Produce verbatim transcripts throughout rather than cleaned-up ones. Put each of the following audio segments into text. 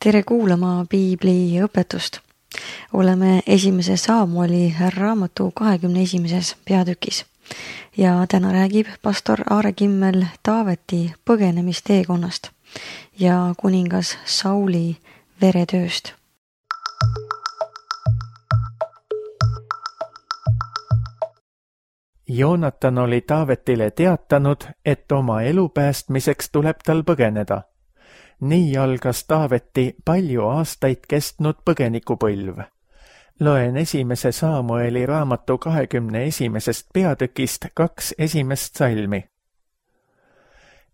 Tere kuulama Piibli õpetust. Oleme esimese Saamueli raamatu kahekümne esimeses peatükis ja täna räägib pastor Aare Kimmel Taaveti põgenemisteekonnast ja kuningas Sauli veretööst. Joonatan oli Taavetile teatanud, et oma elu päästmiseks tuleb tal põgeneda. Nii algas Taaveti palju aastaid kestnud põgenikupõlv. Loen esimese Saamueli raamatu kahekümne esimesest peatükist kaks esimest salmi.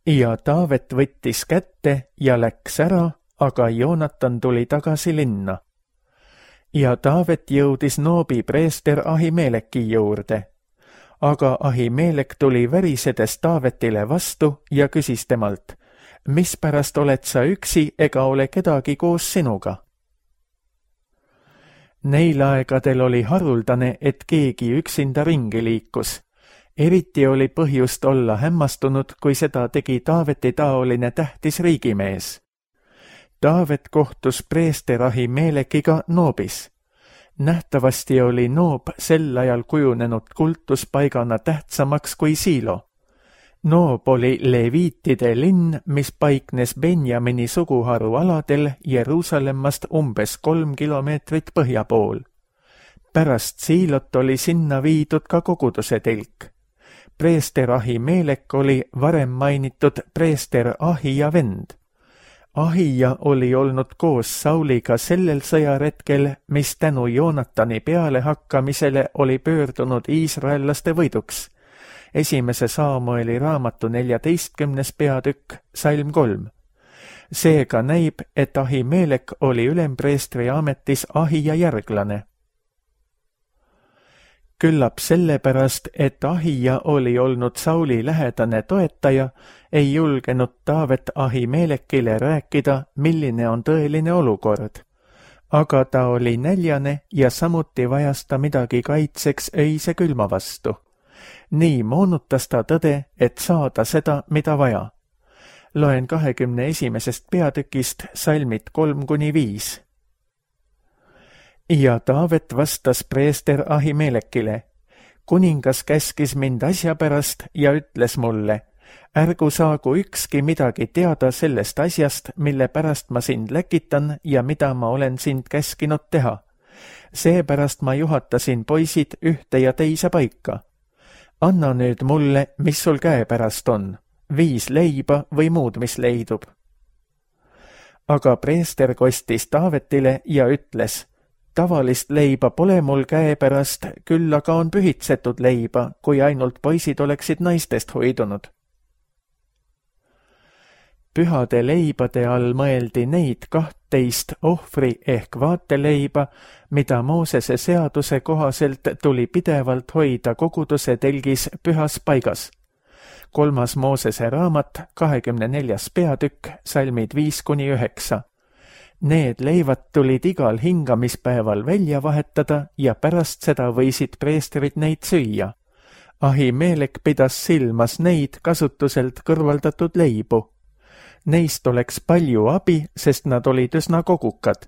Ja Taavet võttis kätte ja läks ära, aga Joonatan tuli tagasi linna. Ja Taavet jõudis Noobi preester Ahimeleki juurde. Aga Ahimelek tuli värisedes Taavetile vastu ja küsis temalt, mispärast oled sa üksi ega ole kedagi koos sinuga? Neil aegadel oli haruldane, et keegi üksinda ringi liikus. Eriti oli põhjust olla hämmastunud, kui seda tegi Taaveti taoline tähtis riigimees. Taavet kohtus preester Ahimelekiga Noobis. Nähtavasti oli Noob sel ajal kujunenud kultuspaigana tähtsamaks kui Siilo. Noob oli leviitide linn, mis paiknes Benjamini suguharu aladel Jeruusallemmast umbes kolm kilomeetrit põhja pool. Pärast Siilot oli sinna viidud ka koguduse telk. Preester Ahimelek oli varem mainitud preester Ahija vend. Ahija oli olnud koos Sauliga sellel sõjaretkel, mis tänu Joonatani pealehakkamisele oli pöördunud iisraellaste võiduks. Esimese Saamueli raamatu neljateistkümnes peatükk, salm kolm. Seega näib, et Ahimelek oli ülempreestri ametis Ahija järglane. Küllap sellepärast, et Ahija oli olnud Sauli lähedane toetaja, ei julgenud Taavet Ahimelekile rääkida, milline on tõeline olukord. Aga ta oli näljane ja samuti vajas ta midagi kaitseks öise külma vastu. Nii moonutas ta tõde, et saada seda, mida vaja. Loen kahekümne esimesest peatükist salmid kolm kuni viis. Ja Taavet vastas preester Ahimelekile, kuningas käskis mind asja pärast ja ütles mulle, ärgu saagu ükski midagi teada sellest asjast, mille pärast ma sind läkitan ja mida ma olen sind käskinud teha. Seepärast ma juhatasin poisid ühte ja teise paika. Anna nüüd mulle, mis sul käepärast on, viis leiba või muud, mis leidub. Aga preester kostis Taavetile ja ütles, tavalist leiba pole mul käepärast, küll aga on pühitsetud leiba, kui ainult poisid oleksid naistest hoidunud. Pühade leibade all mõeldi neid kahtteist ohvri ehk vaateleiba, mida Moosese seaduse kohaselt tuli pidevalt hoida koguduse telgis pühas paigas. Kolmas Moosese raamat, kahekümne neljas peatükk, salmid viis kuni üheksa. Need leivad tulid igal hingamispäeval välja vahetada ja pärast seda võisid preestrid neid süüa. Ahimelek pidas silmas neid kasutuselt kõrvaldatud leibu. Neist oleks palju abi, sest nad olid üsna kogukad.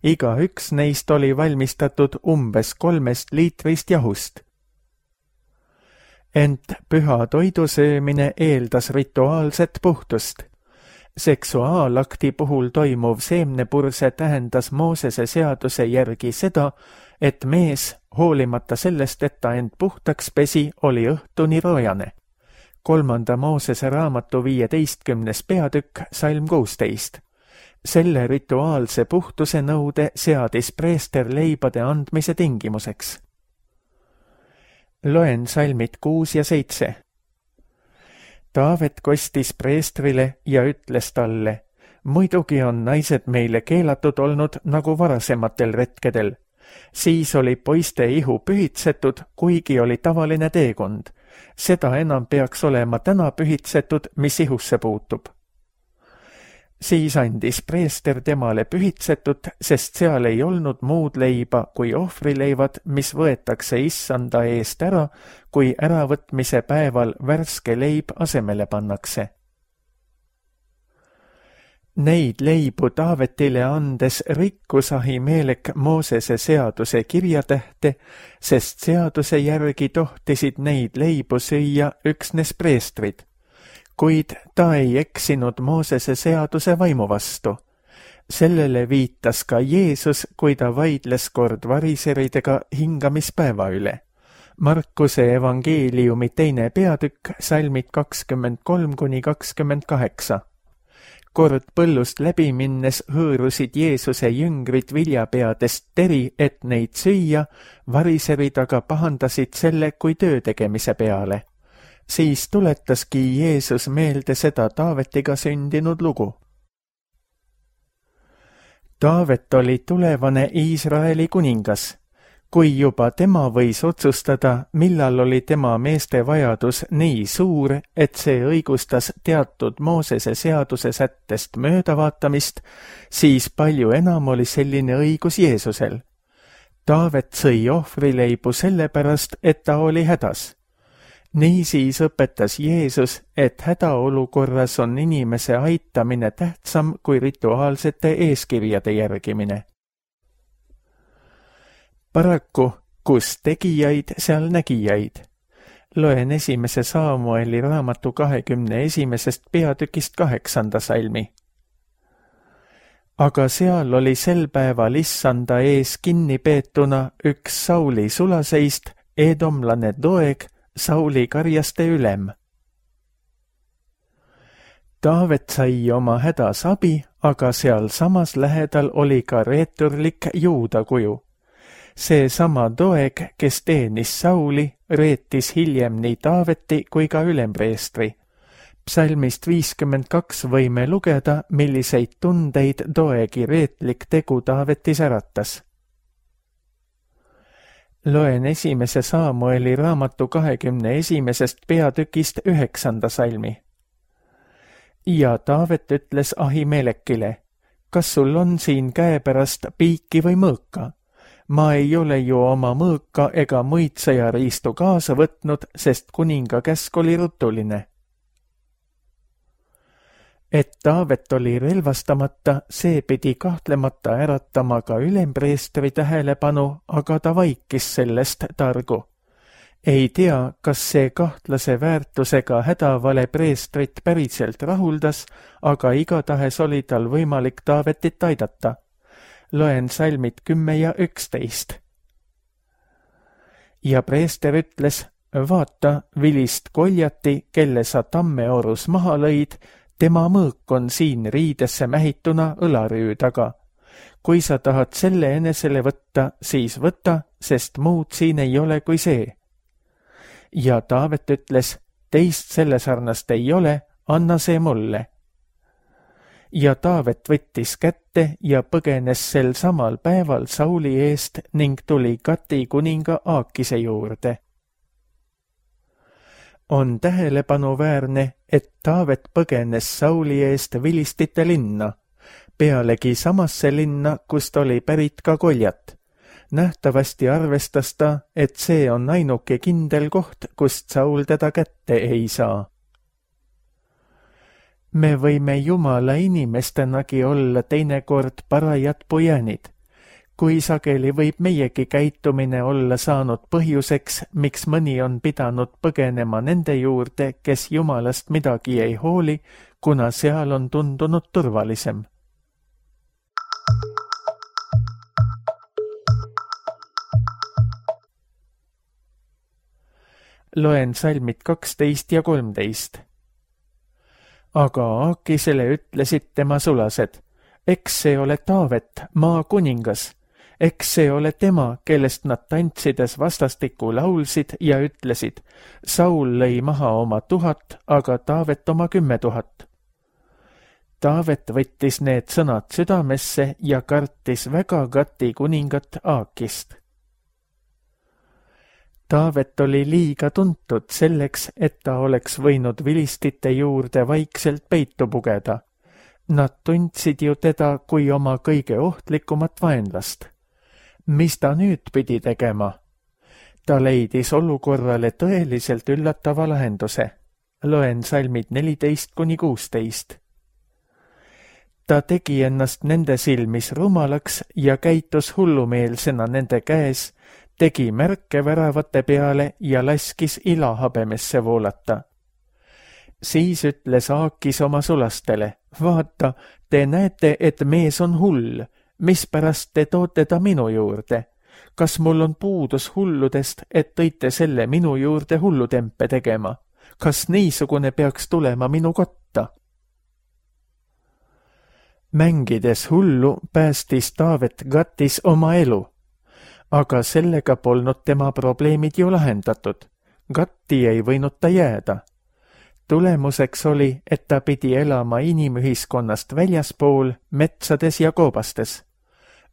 Iga üks neist oli valmistatud umbes kolmest liitrist jahust. Ent püha toidu söömine eeldas rituaalset puhtust. Seksuaalakti puhul toimuv seemnepurse tähendas Moosese seaduse järgi seda, et mees, hoolimata sellest, et ta end puhtaks pesi, oli õhtuni roojane. Kolmanda Moosese raamatu viieteistkümnes peatükk, salm kuusteist. Selle rituaalse puhtuse nõude seadis preester leibade andmise tingimuseks. Loen salmid kuus ja seitse. Taavet kostis preestrile ja ütles talle, muidugi on naised meile keelatud olnud nagu varasematel retkedel. Siis oli poiste ihu pühitsetud, kuigi oli tavaline teekond. Seda enam peaks olema täna pühitsetud, mis ihusse puutub. Siis andis preester temale pühitsetut, sest seal ei olnud muud leiba kui ohvrileivad, mis võetakse issanda eest ära, kui äravõtmise päeval värske leib asemele pannakse. Neid leibu Taavetile andes rikkus Ahimelek Moosese seaduse kirjatähte, sest seaduse järgi tohtisid neid leibu süüa üksnes preestrid. Kuid ta ei eksinud Moosese seaduse vaimu vastu. Sellele viitas ka Jeesus, kui ta vaidles kord variseridega hingamispäeva üle. Markuse evangeeliumi teine peatükk, salmid kakskümmend kolm kuni kakskümmend kaheksa. Kord põllust läbi minnes hõõrusid Jeesuse jüngrid viljapeadest teri, et neid süüa, variserid aga pahandasid selle kui töö tegemise peale. Siis tuletaski Jeesus meelde seda Taavetiga sündinud lugu. Taavet oli tulevane Iisraeli kuningas. Kui juba tema võis otsustada, millal oli tema meeste vajadus nii suur, et see õigustas teatud Moosese seaduse sättest möödavaatamist, siis palju enam oli selline õigus Jeesusel. Taavet sõi ohvrileibu sellepärast, et ta oli hädas. Niisiis õpetas Jeesus, et hädaolukorras on inimese aitamine tähtsam kui rituaalsete eeskirjade järgimine. Paraku, kus tegijaid, seal nägijaid. Loen esimese Saamueli raamatu kahekümne esimesest peatükist kaheksanda salmi. Aga seal oli sel päeval issanda ees kinni peetuna üks Sauli sulaseist, edomlane Doeg, Sauli karjaste ülem. Taavet sai oma hädas abi, aga seal samas lähedal oli ka reeturlik juuda kuju. See sama Doeg, kes teenis Sauli, reetis hiljem nii Taaveti kui ka ülempreestri. Psalmist viiskümmend kaks võime lugeda, milliseid tundeid Doegi reetlik tegu Taavetis äratas. Loen esimese Saamueli raamatu kahekümne esimesest peatükist üheksanda salmi. Ja Taavet ütles Ahimelekile, kas sul on siin käepärast piiki või mõõka? Ma ei ole ju oma mõõka ega muid sõjariistu kaasa võtnud, sest kuninga käsk oli rutuline. Et Taavet oli relvastamata, see pidi kahtlemata äratama ka ülempreestri tähelepanu, aga ta vaikis sellest targu. Ei tea, kas see kahtlase väärtusega hädavale preestrit päriselt rahuldas, aga igatahes oli tal võimalik Taavetit aidata. Loen salmid kümme ja üksteist. Ja preester ütles, vaata, vilist koljati, kelle sa tammeorus maha lõid, tema mõõk on siin riidesse mähituna õlarüü taga. Kui sa tahad selle enesele võtta, siis võta, sest muud siin ei ole kui see. Ja Taavet ütles, teist selle sarnast ei ole, anna see mulle. Ja Taavet võttis kätte ja põgenes sel samal päeval Sauli eest ning tuli Gati kuninga Aakise juurde. On tähelepanuväärne, et Taavet põgenes Sauli eest vilistite linna, pealegi samasse linna, kust oli pärit ka Koljat. Nähtavasti arvestas ta, et see on ainuke kindel koht, kust Saul teda kätte ei saa. Me võime Jumala inimestenagi olla teinekord parajad pujänid. Kui sageli võib meiegi käitumine olla saanud põhjuseks, miks mõni on pidanud põgenema nende juurde, kes Jumalast midagi ei hooli, kuna seal on tundunud turvalisem. Loen salmid kaksteist ja kolmteist. Aga Aakisele ütlesid tema sulased, eks see ole Taavet, maa kuningas, eks see ole tema, kellest nad tantsides vastastikku laulsid ja ütlesid, Saul lõi maha oma tuhat, aga Taavet oma kümme tuhat. Taavet võttis need sõnad südamesse ja kartis väga Gati kuningat Aakist. Taavet oli liiga tuntud selleks, et ta oleks võinud vilistite juurde vaikselt peitu pugeda. Nad tundsid ju teda kui oma kõige ohtlikumat vaenlast. Mis ta nüüd pidi tegema? Ta leidis olukorrale tõeliselt üllatava lahenduse. Loen salmid neliteist kuni kuusteist. ta tegi ennast nende silmis rumalaks ja käitus hullumeelsena nende käes, tegi märke väravate peale ja laskis ilahabemesse voolata. Siis ütles Aakis oma sulastele, vaata, te näete, et mees on hull, mispärast te toote ta minu juurde? Kas mul on puudus hulludest, et tõite selle minu juurde hullutempe tegema? Kas niisugune peaks tulema minu kotta? Mängides hullu päästis Taavet Gatis oma elu, aga sellega polnud tema probleemid ju lahendatud. Gatti ei võinud ta jääda. Tulemuseks oli, et ta pidi elama inimühiskonnast väljaspool, metsades ja koobastes.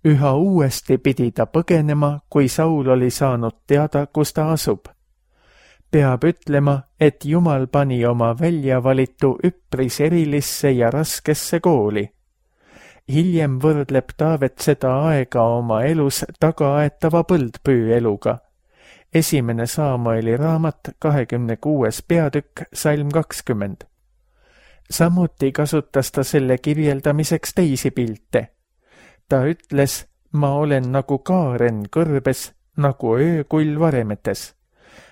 Üha uuesti pidi ta põgenema, kui Saul oli saanud teada, kus ta asub. Peab ütlema, et Jumal pani oma väljavalitu üpris erilisse ja raskesse kooli. Hiljem võrdleb Taavet seda aega oma elus tagaaetava põldpüü eluga. Esimene Saamueli raamat, kahekümne kuues peatükk, salm kakskümmend. Samuti kasutas ta selle kirjeldamiseks teisi pilte. Ta ütles, ma olen nagu kaaren kõrbes, nagu öökull varemetes.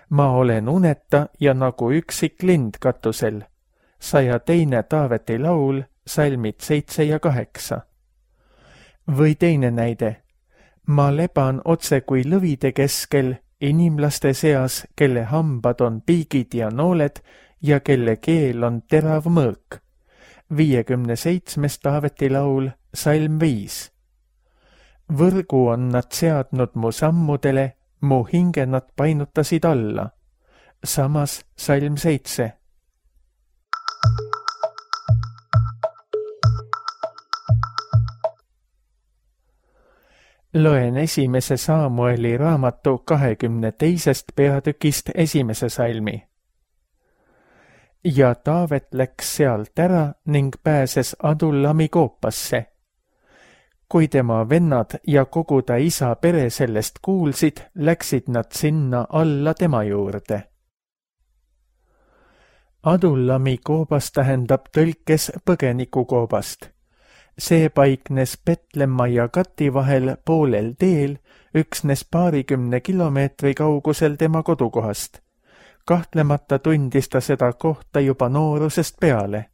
Ma olen uneta ja nagu üksik lind katusel. Saja teine Taaveti laul, salmid seitse ja kaheksa. Või teine näide. Ma leban otse kui lõvide keskel, inimlaste seas, kelle hambad on piigid ja nooled ja kelle keel on terav mõõk. viiekümne seitsmes Taaveti laul, salm viis. Võrgu on nad seadnud mu sammudele, mu hinge nad painutasid alla. Samas salm seitse. Loen esimese Saamueli raamatu kahekümne teisest peatükist esimese salmi. Ja Taavet läks sealt ära ning pääses Adullami koopasse. Kui tema vennad ja kogu ta isa pere sellest kuulsid, läksid nad sinna alla tema juurde. Adullami koobas tähendab tõlkes põgenikukoobast. See paiknes Petlemma ja Gati vahel poolel teel, üksnes paarikümne kilomeetri kaugusel tema kodukohast. Kahtlemata tundis ta seda kohta juba noorusest peale.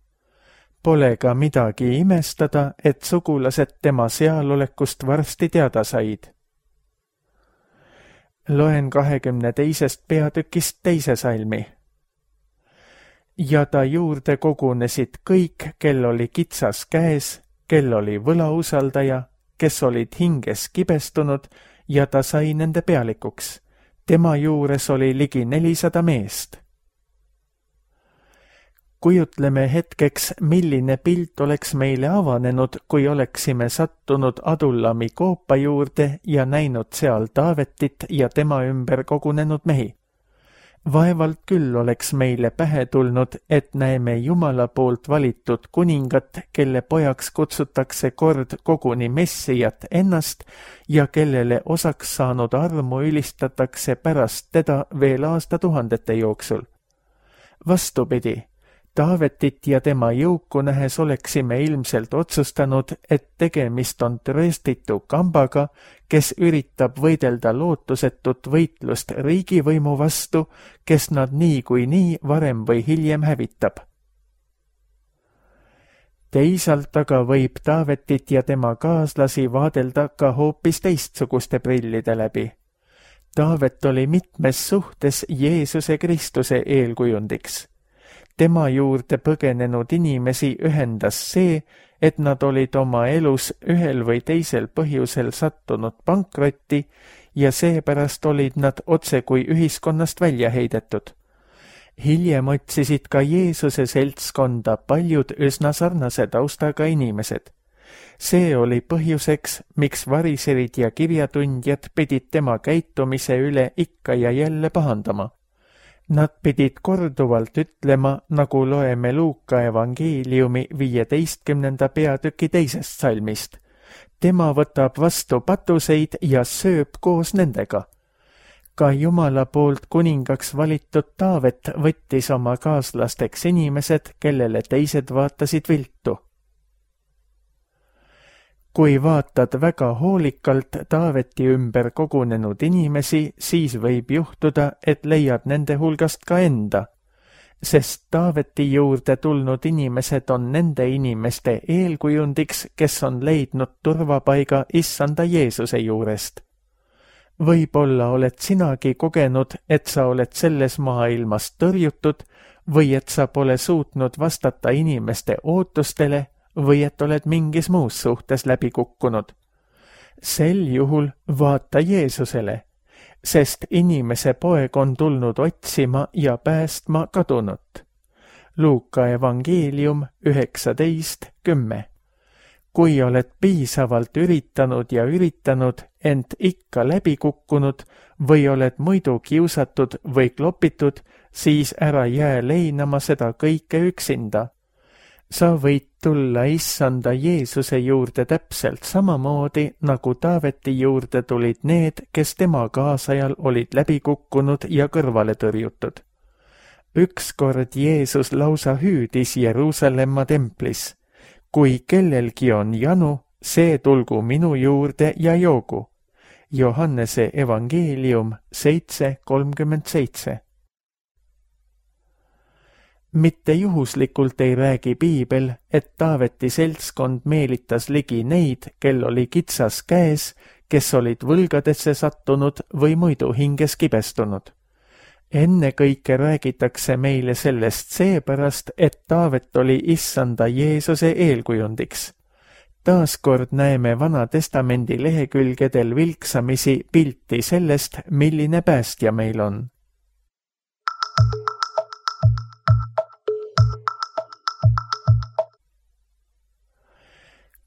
Pole ka midagi imestada, et sugulased tema sealolekust varsti teada said. Loen kahekümne teisest peatükist teise salmi. Ja ta juurde kogunesid kõik, kel oli kitsas käes, kel oli võlausaldaja, kes olid hinges kibestunud ja ta sai nende pealikuks. Tema juures oli ligi nelisada meest. Kujutleme hetkeks, milline pilt oleks meile avanenud, kui oleksime sattunud Adullami koopa juurde ja näinud seal Taavetit ja tema ümber kogunenud mehi. Vaevalt küll oleks meile pähe tulnud, et näeme Jumala poolt valitud kuningat, kelle pojaks kutsutakse kord koguni Messijat ennast ja kellele osaks saanud armu ülistatakse pärast teda veel aastatuhandete jooksul. Vastupidi, Taavetit ja tema jõuku nähes oleksime ilmselt otsustanud, et tegemist on trööstitu kambaga, kes üritab võidelda lootusetut võitlust riigivõimu vastu, kes nad nii kui nii varem või hiljem hävitab. Teisalt aga võib Taavetit ja tema kaaslasi vaadelda ka hoopis teistsuguste prillide läbi. Taavet oli mitmes suhtes Jeesuse Kristuse eelkujundiks. Tema juurde põgenenud inimesi ühendas see, et nad olid oma elus ühel või teisel põhjusel sattunud pankrotti ja seepärast olid nad otse kui ühiskonnast välja heidetud. Hiljem otsisid ka Jeesuse seltskonda paljud üsna sarnase taustaga inimesed. See oli põhjuseks, miks variserid ja kirjatundjad pidid tema käitumise üle ikka ja jälle pahandama. Nad pidid korduvalt ütlema, nagu loeme Luuka evangeeliumi viieteistkümnenda peatüki teisest salmist. Tema võtab vastu patuseid ja sööb koos nendega. Ka Jumala poolt kuningaks valitud Taavet võttis oma kaaslasteks inimesed, kellele teised vaatasid viltu. kui vaatad väga hoolikalt Taaveti ümber kogunenud inimesi, siis võib juhtuda, et leiad nende hulgast ka enda, sest Taaveti juurde tulnud inimesed on nende inimeste eelkujundiks, kes on leidnud turvapaiga issanda Jeesuse juurest. Võib-olla oled sinagi kogenud, et sa oled selles maailmas tõrjutud või et sa pole suutnud vastata inimeste ootustele või et oled mingis muus suhtes läbi kukkunud. Sel juhul vaata Jeesusele, sest inimese poeg on tulnud otsima ja päästma kadunut. Luuka evangeelium üheksateist kümme. Kui oled piisavalt üritanud ja üritanud, ent ikka läbi kukkunud või oled muidu kiusatud või klopitud, siis ära jää leinama seda kõike üksinda. Sa võid tulla issanda Jeesuse juurde täpselt samamoodi, nagu Taaveti juurde tulid need, kes tema kaasajal olid läbi kukkunud ja kõrvale tõrjutud. Ükskord Jeesus lausa hüüdis Jeruusalemma templis: kui kellelgi on janu, see tulgu minu juurde ja joogu. Johannese evangeelium seitse kolmkümmend seitse. Mitte juhuslikult ei räägi piibel, et Taaveti seltskond meelitas ligi neid, kel oli kitsas käes, kes olid võlgadesse sattunud või muidu hinges kibestunud. Ennekõike räägitakse meile sellest seepärast, et Taavet oli issanda Jeesuse eelkujundiks. Taaskord näeme Vana Testamendi lehekülgedel vilksamisi pilti sellest, milline päästja meil on.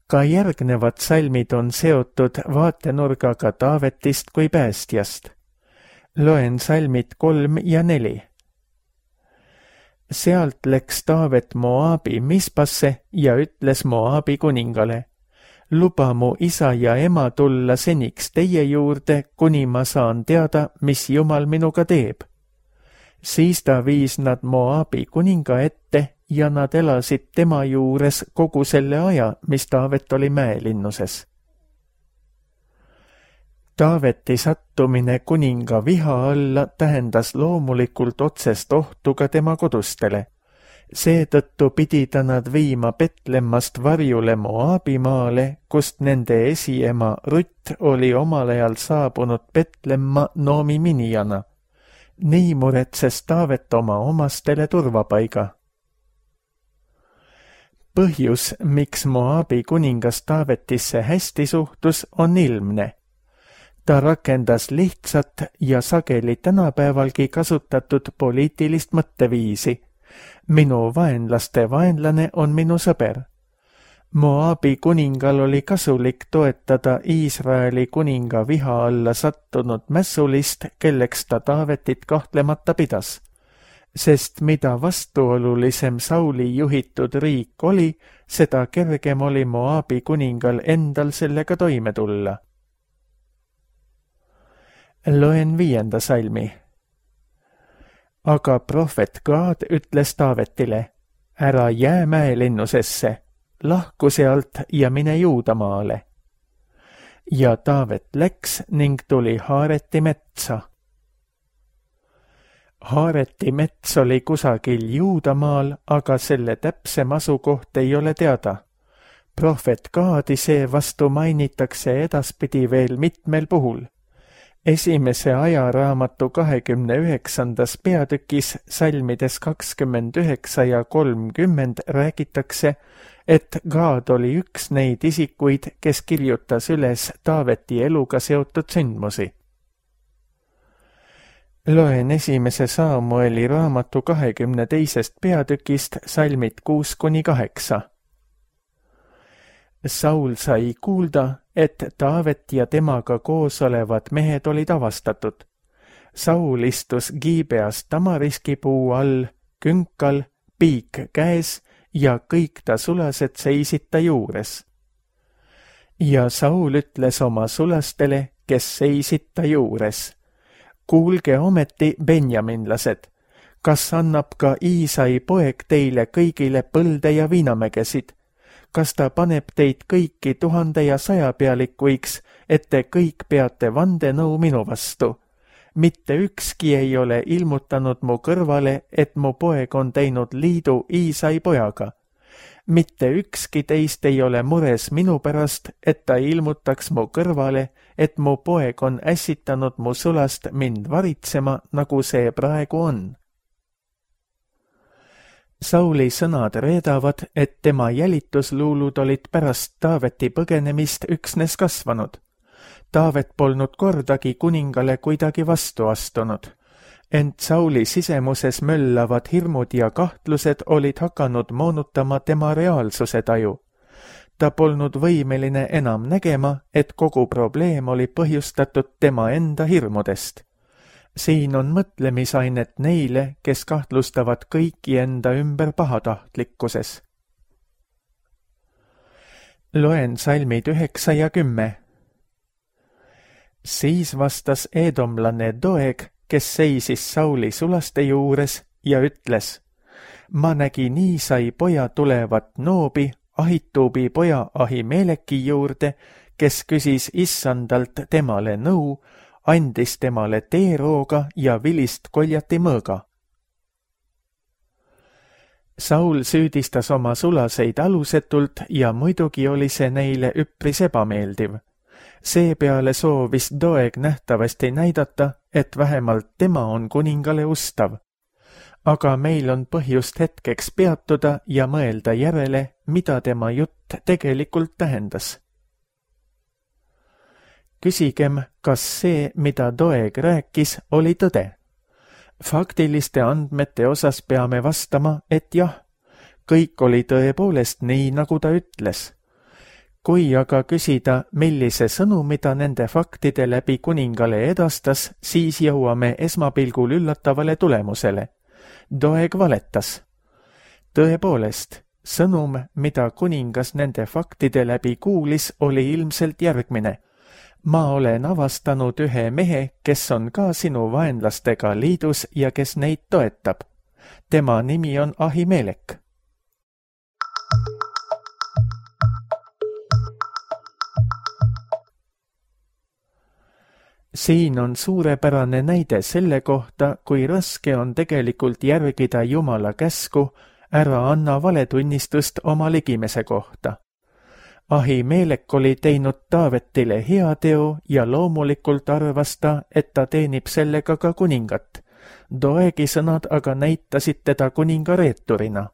Ka järgnevad salmid on seotud vaatenurgaga Taavetist kui päästjast. Loen salmid kolm ja neli. Sealt läks Taavet Moabi Mispasse ja ütles Moabi kuningale: luba mu isa ja ema tulla seniks teie juurde, kuni ma saan teada, mis Jumal minuga teeb. Siis ta viis nad Moabi kuninga ette ja nad elasid tema juures kogu selle aja, mis Taavet oli mäelinnuses. Taaveti sattumine kuninga viha alla tähendas loomulikult otsest ohtu ka tema kodustele. Seetõttu pidi ta nad viima Betlemmast varjule Moabimaale, kust nende esiema Rutt oli omal ajal saabunud Betlemma Noomi minijana. Nii muretses Taavet oma omastele turvapaiga. Põhjus, miks Moabi kuningas Taavetisse hästi suhtus, on ilmne. Ta rakendas lihtsat ja sageli tänapäevalgi kasutatud poliitilist mõtteviisi. Minu vaenlaste vaenlane on minu sõber. Moabi kuningal oli kasulik toetada Iisraeli kuninga viha alla sattunud mässulist, kelleks ta Taavetit kahtlemata pidas. Sest mida vastuolulisem Sauli juhitud riik oli, seda kergem oli Moabi kuningal endal sellega toime tulla. Loen viienda salmi. Aga prohvet Gaad ütles Taavetile: ära jää mäelinnusesse, lahku sealt ja mine Juudamaale. Ja Taavet läks ning tuli Haareti metsa. Haareti mets oli kusagil Juudamaal, aga selle täpsem asukoht ei ole teada. Prohvet Gaadi seevastu mainitakse edaspidi veel mitmel puhul. Esimese ajaraamatu kahekümne üheksandas peatükis salmides kakskümmend üheksa ja kolmkümmend räägitakse, et Gaad oli üks neid isikuid, kes kirjutas üles Taaveti eluga seotud sündmusi. Loen esimese Saamueli raamatu kahekümne teisest peatükist salmid kuus kuni kaheksa. Saul sai kuulda, et Taavet ja temaga koos olevad mehed olid avastatud. Saul istus Giibeas tamariski puu all, künkal, piik käes ja kõik ta sulased seisid ta juures. Ja Saul ütles oma sulastele, kes seisid ta juures: kuulge ometi, benjaminlased, kas annab ka Iisai poeg teile kõigile põlde ja viinamägesid? kas ta paneb teid kõiki tuhande ja sajapealikuiks, et te kõik peate vandenõu minu vastu? Mitte ükski ei ole ilmutanud mu kõrvale, et mu poeg on teinud liidu Iisai pojaga. Mitte ükski teist ei ole mures minu pärast, et ta ilmutaks mu kõrvale, et mu poeg on ässitanud mu sulast mind varitsema, nagu see praegu on. Sauli sõnad reedavad, et tema jälitusluulud olid pärast Taaveti põgenemist üksnes kasvanud. Taavet polnud kordagi kuningale kuidagi vastu astunud, ent Sauli sisemuses möllavad hirmud ja kahtlused olid hakanud moonutama tema reaalsuse taju. Ta polnud võimeline enam nägema, et kogu probleem oli põhjustatud tema enda hirmudest. Siin on mõtlemisainet neile, kes kahtlustavad kõiki enda ümber pahatahtlikkuses. Loen salmid üheksa ja kümme. Siis vastas eedomlane Doeg, kes seisis Sauli sulaste juures ja ütles, ma nägin Iisai poja tulevat Noobi, Ahituubi poja Ahimeleki juurde, kes küsis issandalt temale nõu, andis temale teerooga ja vilist koljati mõõga. Saul süüdistas oma sulaseid alusetult ja muidugi oli see neile üpris ebameeldiv. Seepeale soovis Doeg nähtavasti näidata, et vähemalt tema on kuningale ustav. Aga meil on põhjust hetkeks peatuda ja mõelda järele, mida tema jutt tegelikult tähendas. Küsigem, kas see, mida Doeg rääkis, oli tõde. Faktiliste andmete osas peame vastama, et jah, kõik oli tõepoolest nii, nagu ta ütles. Kui aga küsida, millise sõnumi ta nende faktide läbi kuningale edastas, siis jõuame esmapilgul üllatavale tulemusele. Doeg valetas. Tõepoolest, sõnum, mida kuningas nende faktide läbi kuulis, oli ilmselt järgmine. Ma olen avastanud ühe mehe, kes on ka sinu vaenlastega liidus ja kes neid toetab. Tema nimi on Ahimelek. Siin on suurepärane näide selle kohta, kui raske on tegelikult järgida Jumala käsku, ära anna valetunnistust oma ligimese kohta. Ahimelek oli teinud Taavetile heateo ja loomulikult arvas ta, et ta teenib sellega ka kuningat. Doegi sõnad aga näitasid teda kuninga reeturina.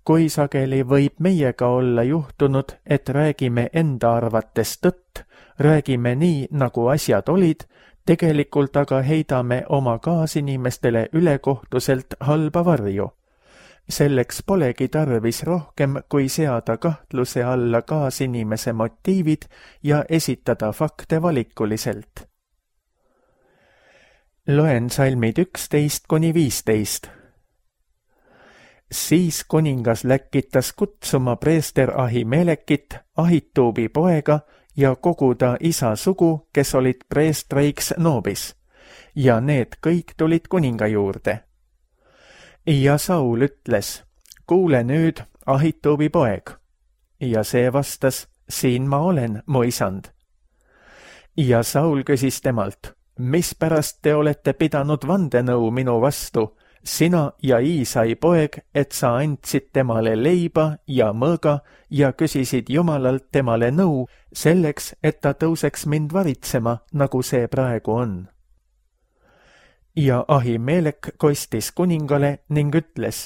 Kui sageli võib meiega olla juhtunud, et räägime enda arvates tõtt, räägime nii, nagu asjad olid, tegelikult aga heidame oma kaasinimestele ülekohtuselt halba varju. Selleks polegi tarvis rohkem, kui seada kahtluse alla kaasinimese motiivid ja esitada fakte valikuliselt. Loen salmid üksteist kuni viisteist. Siis kuningas läkitas kutsuma preester Ahimelekit, Ahituubi poega, ja kogu ta isa sugu, kes olid preestreiks Noobis, ja need kõik tulid kuninga juurde. Ja Saul ütles, kuule nüüd, Ahituubi poeg. Ja see vastas, siin ma olen, mu isand. Ja Saul küsis temalt, mispärast te olete pidanud vandenõu minu vastu, sina ja Iisai poeg, et sa andsid temale leiba ja mõõga ja küsisid Jumalalt temale nõu selleks, et ta tõuseks mind varitsema, nagu see praegu on. Ja Ahimelek kostis kuningale ning ütles,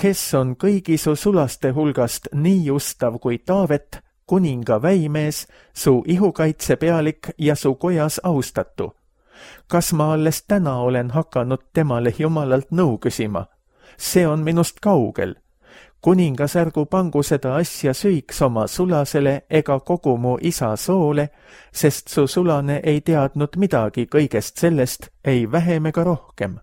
kes on kõigi su sulaste hulgast nii ustav kui Taavet, kuninga väimees, su ihukaitsepealik ja su kojas austatu. Kas ma alles täna olen hakanud temale Jumalalt nõu küsima? See on minust kaugel. Kuningas ärgu pangu seda asja süüks oma sulasele ega kogu mu isa soole, sest su sulane ei teadnud midagi kõigest sellest, ei vähem ega rohkem.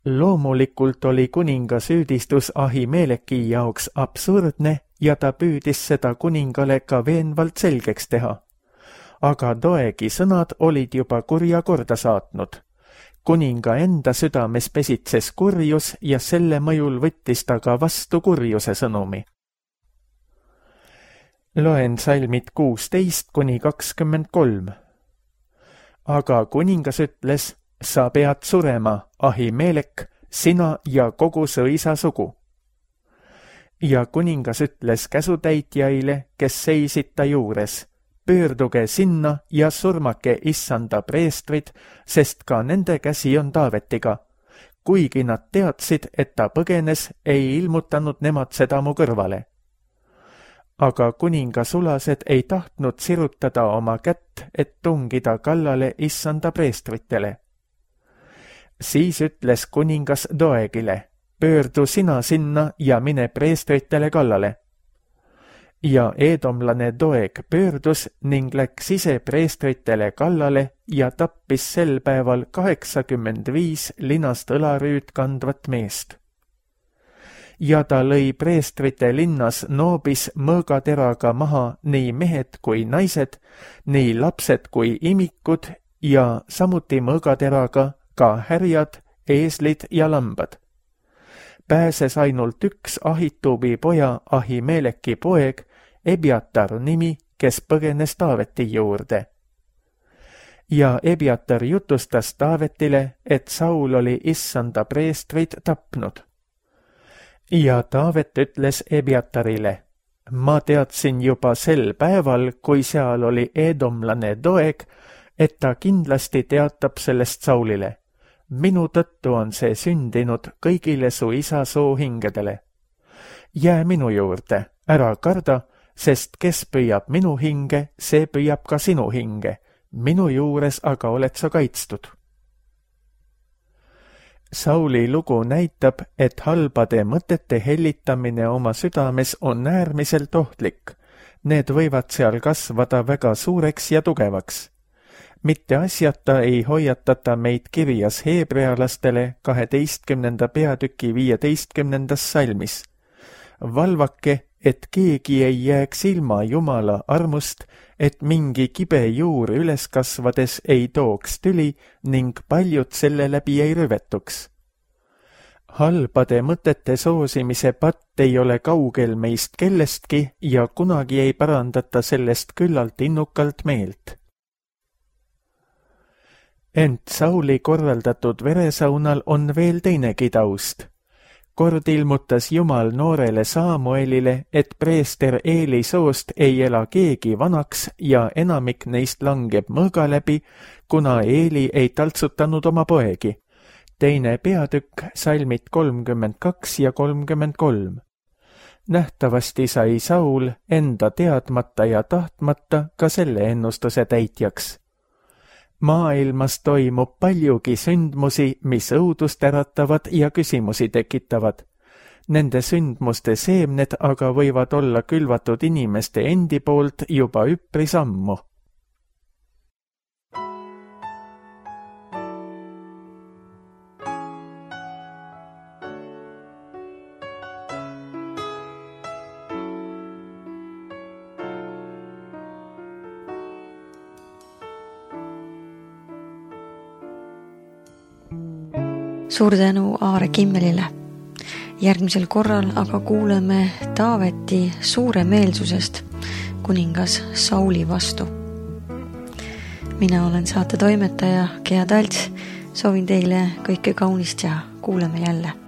Loomulikult oli kuninga süüdistus Ahimeleki jaoks absurdne ja ta püüdis seda kuningale ka veenvalt selgeks teha. Aga Doegi sõnad olid juba kurja korda saatnud. kuninga enda südames pesitses kurjus ja selle mõjul võttis ta ka vastu kurjuse sõnumi. Loen salmid kuusteist kuni kakskümmend kolm. Aga kuningas ütles, sa pead surema, Ahimelek, sina ja kogu su isa sugu. Ja kuningas ütles käsutäitjaile, kes seisid ta juures, pöörduge sinna ja surmake issanda preestrid, sest ka nende käsi on Taavetiga. Kuigi nad teadsid, et ta põgenes, ei ilmutanud nemad seda mu kõrvale. Aga kuninga sulased ei tahtnud sirutada oma kätt, et tungida kallale issanda preestritele. Siis ütles kuningas Doegile, pöördu sina sinna ja mine preestritele kallale. Ja eedomlane Doeg pöördus ning läks ise preestritele kallale ja tappis sel päeval kaheksakümmend viis linast õlarüüd kandvat meest. Ja ta lõi preestrite linnas Noobis mõõgateraga maha nii mehed kui naised, nii lapsed kui imikud ja samuti mõõgateraga ka härjad, eeslid ja lambad. Pääses ainult üks Ahituubi poja Ahimeleki poeg, Ebiatar nimi, kes põgenes Taaveti juurde. Ja Ebiatar jutustas Taavetile, et Saul oli issanda preestrid tapnud. Ja Taavet ütles Ebiatarile, ma teadsin juba sel päeval, kui seal oli eedomlane Doeg, et ta kindlasti teatab sellest Saulile. Minu tõttu on see sündinud kõigile su isa soohingedele. Jää minu juurde, ära karda, sest kes püüab minu hinge, see püüab ka sinu hinge. Minu juures aga oled sa kaitstud. Sauli lugu näitab, et halbade mõtete hellitamine oma südames on äärmiselt ohtlik. Need võivad seal kasvada väga suureks ja tugevaks. Mitte asjata ei hoiatata meid kirjas heebrealastele kaheteistkümnenda peatüki viieteistkümnendas salmis. Valvake, et keegi ei jääks ilma Jumala armust, et mingi kibe juur üles kasvades ei tooks tüli ning paljud selle läbi ei rüvetuks. Halbade mõtete soosimise patt ei ole kaugel meist kellestki ja kunagi ei parandata sellest küllalt innukalt meelt. Ent Sauli korraldatud veresaunal on veel teinegi taust. Kord ilmutas Jumal noorele Saamuelile, et preester Eeli soost ei ela keegi vanaks ja enamik neist langeb mõõga läbi, kuna Eeli ei taltsutanud oma poegi. Teine peatükk, salmid kolmkümmend kaks ja kolmkümmend kolm. Nähtavasti sai Saul enda teadmata ja tahtmata ka selle ennustuse täitjaks. Maailmas toimub paljugi sündmusi, mis õudust äratavad ja küsimusi tekitavad. Nende sündmuste seemned aga võivad olla külvatud inimeste endi poolt juba üpris ammu. Suur tänu Aare Kimmelile. Järgmisel korral aga kuuleme Taaveti suuremeelsusest kuningas Sauli vastu. Mina olen saate toimetaja Gea Talts, soovin teile kõike kaunist ja kuuleme jälle.